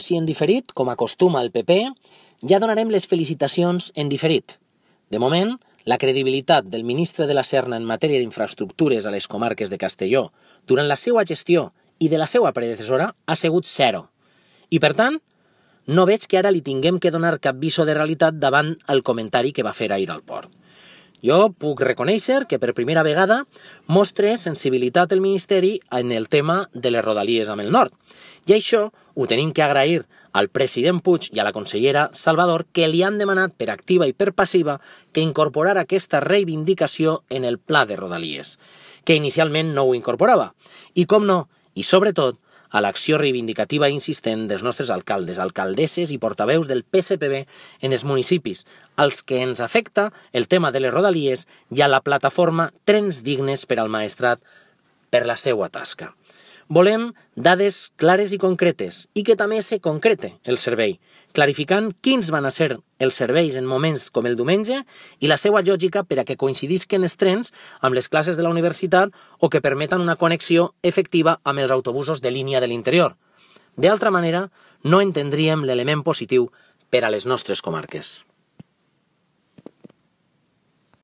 Si en diferit, com acostuma el PP, ja donarem les felicitacions en diferit. De moment, la credibilitat del ministre de la Serna en matèria d'infraestructures a les comarques de Castelló durant la seva gestió i de la seva predecessora ha sigut zero. I per tant, no veig que ara li tinguem que donar cap viso de realitat davant el comentari que va fer ahir al port. Jo puc reconèixer que per primera vegada mostre sensibilitat el Ministeri en el tema de les rodalies amb el nord. I això ho tenim que agrair al president Puig i a la consellera Salvador, que li han demanat per activa i per passiva que incorporar aquesta reivindicació en el pla de rodalies, que inicialment no ho incorporava. I com no, i sobretot, a l'acció reivindicativa insistent dels nostres alcaldes, alcaldesses i portaveus del PSPB en els municipis, als que ens afecta el tema de les rodalies i a la plataforma Trens Dignes per al Maestrat per la seva tasca. Volem dades clares i concretes i que també se concrete el servei, clarificant quins van a ser els serveis en moments com el diumenge i la seva lògica per a que coincidisquen els trens amb les classes de la universitat o que permetan una connexió efectiva amb els autobusos de línia de l'interior. D'altra manera, no entendríem l'element positiu per a les nostres comarques.